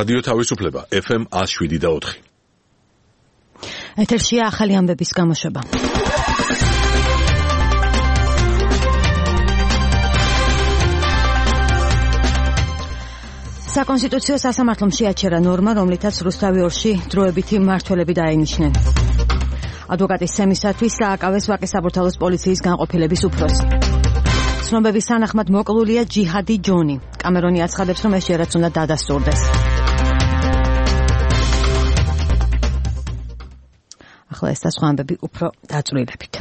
რადიო თავისუფლება FM 107.4. ეთერშია ახალი ამბების გამოშვება. საკონსტიტუციო სასამართლომ შეაჩერა ნორმა, რომლითაც რუსთავი ორში დროებითი მმართველები დაენიშნენ. ადვოკატის სემისათვის დააკავეს ვაკის საბურთალოს პოლიციის განყოფილების უფროსი. ცნობების თანახმად მოკლულია ჯიჰადი ჯონი. კამერონი აცხადებს, რომ ეს ჯერაც უნდა დადასტურდეს. ახლა ეს და სხვა ამბები უფრო დაწვრილებით.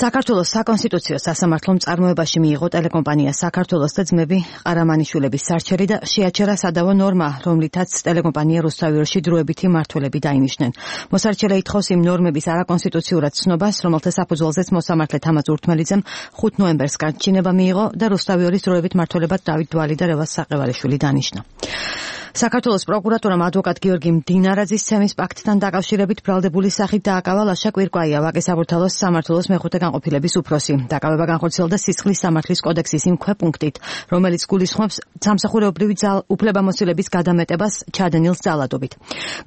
საქართველოს საკონსტიტუციო სასამართლომ წარმოებაში მიიღო ტელეკომპანია საქართველოს და ძმები ყარამანიშვილების სარჩელი და შეაჩერა სადავო ნორმა, რომლითაც ტელეკომპანია რუსთავი ორში დროებითი მმართველები დაინიშნენ. მოსარჩელე ითხოვს იმ ნორმების არაკონსტიტუციურად ცნობას, რომელთა საფუძველზეც მოსამართლე თამაზ ურთმელიძემ 5 ნოემბერს განჩინება მიიღო და რუსთავი ორის დროებით მმართველებად დავით დვალი და რევაზ საყევალიშვილი დანიშნა. საქართველოს პროკურატურამ ადვოკატ გიორგი მდინარაძის ცემის პაქტთან დაკავშირებით ბრალდებული სახით დააკავა ლაშა კვირკვაია, ვაკის საბურთალოს სამმართველოს მეხუთე განყოფილების უფროსი. დაკავება განხორციელდა სისხლის სამართლის კოდექსის იმ ქვეპუნქტით, რომელიც გულისხმობს სამსახურეობრივი უფლებამოსილების გადამეტებას ჩადენილ ძალადობით.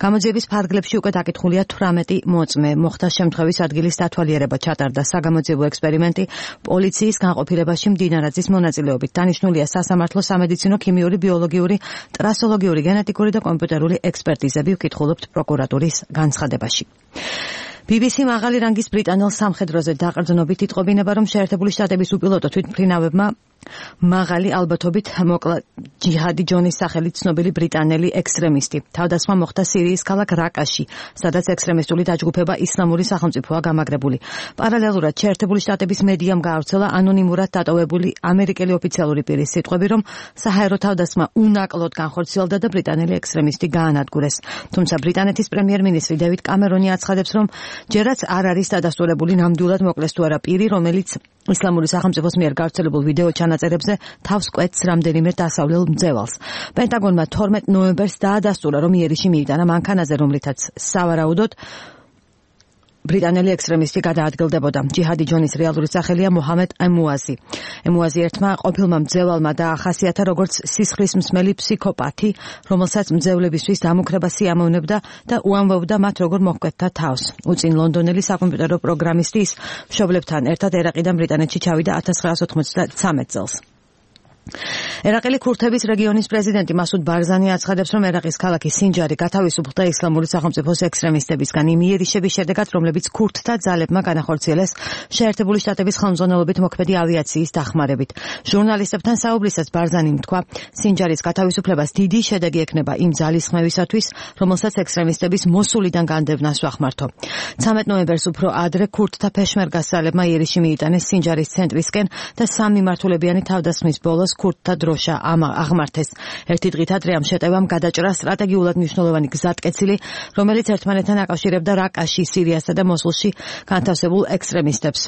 გამოძიების ფარგლებში უკვე დაკითხულია 18 მოწმე. მოხდა შემთხვევის ადგილის დათვალიერება, ჩატარდა საგამოძიებო ექსპერიმენტი პოლიციის განყოფილებაში მდინარაძის მონაწილეობით. დანიშნულია სასამართლო სამედიცინო, ქიმიური, ბიოლოგიური, ტრასოლოგიური, გენეტიკური და კომპიუტერული ექსპერტიზები, ვკითხულობთ პროკურატურის განცხადებაში. BBC მაღალი რანგის ბრიტანელ სამხედროზე დაყრდნობით იტყობინება, რომ შეერთებული შტატების უპილოტო თვითმფრინავებმა მაღალი ალბათობით მოკლა ჯიჰადი ჯონის სახელით ცნობილი ბრიტანელი ექსტრემისტი. თავდასხმა მოხდა სირიის ქალაქ რაკაში, სადაც ექსტრემისტული დაჯგუფება ისლამური სახელმწიფოა გამაგრებული. პარალელურად შეერთებული შტატების მედიამ გაავრცელა ანონიმურად დატოვებული ამერიკელი ოფიციალური პირის სიტყვები, რომ საჰაერო თავდასხმა უნაკლოდ განხორციელდა და ბრიტანელი ექსტრემისტი გაანადგურეს. თუმცა ბრიტანეთის პრემიერ-მინისტრი დევიდ კამერონი აცხადებს, რომ ჯერაც არ არის დადასტურებული ნამდვილად მოკლეს თუ არა პირი, რომელიც ისლამური სახელმწიფოს მიერ გავრცელებულ ვიდეო ჩანაწერებზე თავს კვეთს რამდენიმე დასავლელ მძევალს. პენტაგონმა 12 ნოემბერს დაადასტურა, რომ იერიში მიიტანა მანქანაზე, რომლითაც სავარაუდოდ ბრიტანელი ექსტრემისტი გადაადგილდებოდა. ჯიჰადი ჯონის რეალური სახელია მოჰამედ ემუაზი. ემუაზი ერთმა ყოფილმა მძევალმა დაახასიათა როგორც სისხლის მსმელი ფსიქოპათი, რომელსაც მძევლებისთვის დამუქრება სიამოვნებდა და უამბობდა მათ როგორ მოჰკვეთდა თავს. უწინ ლონდონელი საკომპიუტერო პროგრამისტი ის მშობლებთან ერთად ერაყიდან ბრიტანეთში ჩავიდა 1993 წელს. ერაყელი ქურთების რეგიონის პრეზიდენტი მასუდ ბარზანი აცხადებს, რომ ერაყის ქალაქი სინჯარი გათავისუფლდა ისლამური სახელმწიფოს ექსტრემისტებისგან იმ იერიშების შედეგად, რომლებიც ქურთთა ძალებმა განახორციელეს შეერთებული შტატების ხელმძღვანელობით მოქმედი ავიაციის დახმარებით. ჟურნალისტებთან საუბრისას ბარზანიმ თქვა, სინჯარის გათავისუფლებას დიდი შედეგი ექნება იმ ძალისხმევისათვის, რომელსაც ექსტრემისტების მოსულიდან განდევნას ვახმართო. 13 ნოემბერს უფრო ადრე ქურთთა პეშმერგას ძალებმა იერიში მიიტანეს სინჯარის ცენტრისკენ და 3 მიმართულებიანი თავდასხმის ბოლოს ქურთთა დროშა აღმართეს. ერთი დღით ადრე ამ შეტევამ გადაჭრა სტრატეგიულად მნიშვნელოვანი გზატკეცილი, რომელიც ერთმანეთთან აკავშირებდა რაკაში, სირიასა და მოსულში განთავსებულ ექსტრემისტებს.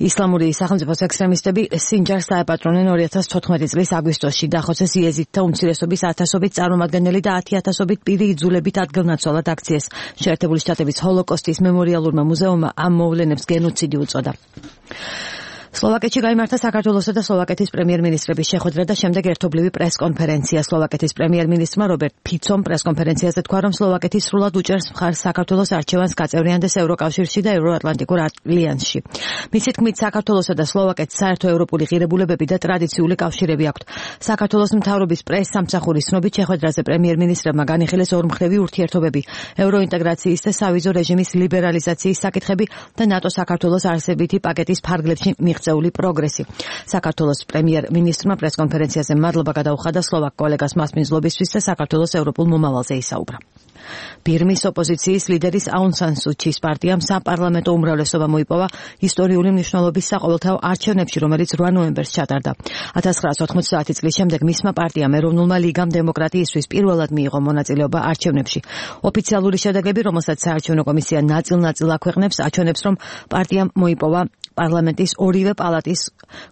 ისლამური სახელმწიფოს ექსტრემისტები სინჯარს დაეპატრონენ 2014 წლის აგვისტოში. დახოცეს იეზიდთა უმცირესობის 1000-ობით წარმომადგენელი და 10,000-ობით პირი იძულებით ადგილნაცვალად აქციეს. შეერთებული შტატების ჰოლოკოსტის მემორიალურმა მუზეუმმა ამ მოვლენებს გენოციდი უწოდა. სლოვაკეთში გაიმართა საქართველოსა და სლოვაკეთის პრემიერ-მინისტრების შეხვედრა და შემდეგ ერთობლივი პრესკონფერენცია. სლოვაკეთის პრემიერ-მინისტრმა რობერტ ფიცომ პრესკონფერენციაზე თქვა, რომ სლოვაკეთი სრულად უჭერს მხარს საქართველოს არჩევანს გაწევრიანდეს ევროკავშირში და ევროატლანტიკურ ალიანსში. მისი თქმით, საქართველოსა და სლოვაკეთს საერთო ევროპული ღირებულებები და ტრადიციული კავშირები აქვთ. საქართველოს მთავრობის პრეს-სამსახურის ცნობით შეხვედრაზე პრემიერ-მინისტრებმა განიხილეს ორმხრივი ურთიერთობები, ევროინტეგრაციის და სავიზო რეჟიმის ლიბერალიზაციის საკითხები და ნატოს საქართველოს არსებითი პაკეტის ფარგლებში მიღწეული პროგრესი. საქართველოს პრემიერ-მინისტრმა პრესკონფერენციაზე მადლობა გადაუხადა სლოვაკ კოლეგას მასპინძლობისთვის და საქართველოს ევროპულ მომავალზე ისაუბრა. ბირმის ოპოზიციის ლიდერის აუნ სან სუ ჩის პარტიამ საპარლამენტო უმრავლესობა მოიპოვა ისტორიული მნიშვნელობის საყოველთაო არჩევნებში, რომელიც 8 ნოემბერს ჩატარდა. 1990 წლის შემდეგ მისმა პარტიამ ეროვნულმა ლიგამ დემოკრატიისთვის პირველად მიიღო მონაწილეობა არჩევნებში. ოფიციალური შედეგები, რომელსაც საარჩევნო კომისია ნაწილ-ნაწილ აქვეყნებს, აჩვენებს, რომ პარტიამ მოიპოვა პარლამენტის ორივე პალატის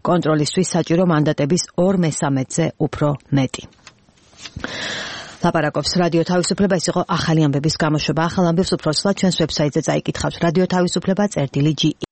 კონტროლისთვის საჭირო მანდატების 2/3-ზე უფრო მეტი. ლაპარაკობს რადიო თავისუფლება, ეს იყო ახალი ამბების გამოშვება. ახალ ამბებს უფრო ცვლად ჩვენს ვებსაიტზე წაიკითხავთ. რადიო თავისუფლება წერტილი G